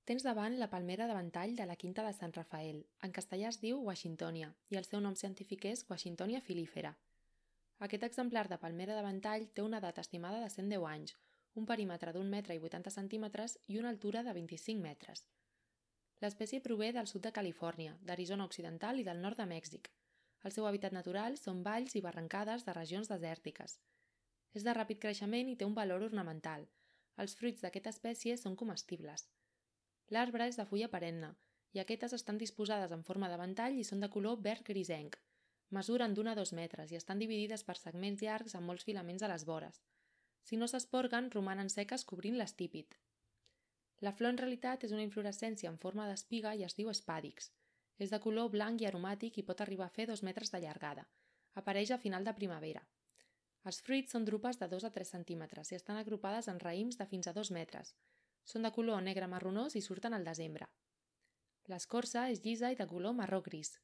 Tens davant la palmera de ventall de la Quinta de Sant Rafael. En castellà es diu Washingtonia i el seu nom científic és Washingtonia filífera. Aquest exemplar de palmera de ventall té una edat estimada de 110 anys, un perímetre d'1 metre i 80 centímetres i una altura de 25 metres. L'espècie prové del sud de Califòrnia, d'Arizona Occidental i del nord de Mèxic. El seu hàbitat natural són valls i barrancades de regions desèrtiques. És de ràpid creixement i té un valor ornamental. Els fruits d'aquesta espècie són comestibles. L'arbre és de fulla perenne i aquestes estan disposades en forma de ventall i són de color verd grisenc. Mesuren d'1 a 2 metres i estan dividides per segments llargs amb molts filaments a les vores. Si no s'esporguen, romanen seques cobrint l'estípit. La flor en realitat és una inflorescència en forma d'espiga i es diu espàdix. És de color blanc i aromàtic i pot arribar a fer 2 metres de llargada. Apareix a final de primavera. Els fruits són drupes de 2 a 3 centímetres i estan agrupades en raïms de fins a 2 metres. Són de color negre marronós i surten al desembre. L'escorça és llisa i de color marró gris.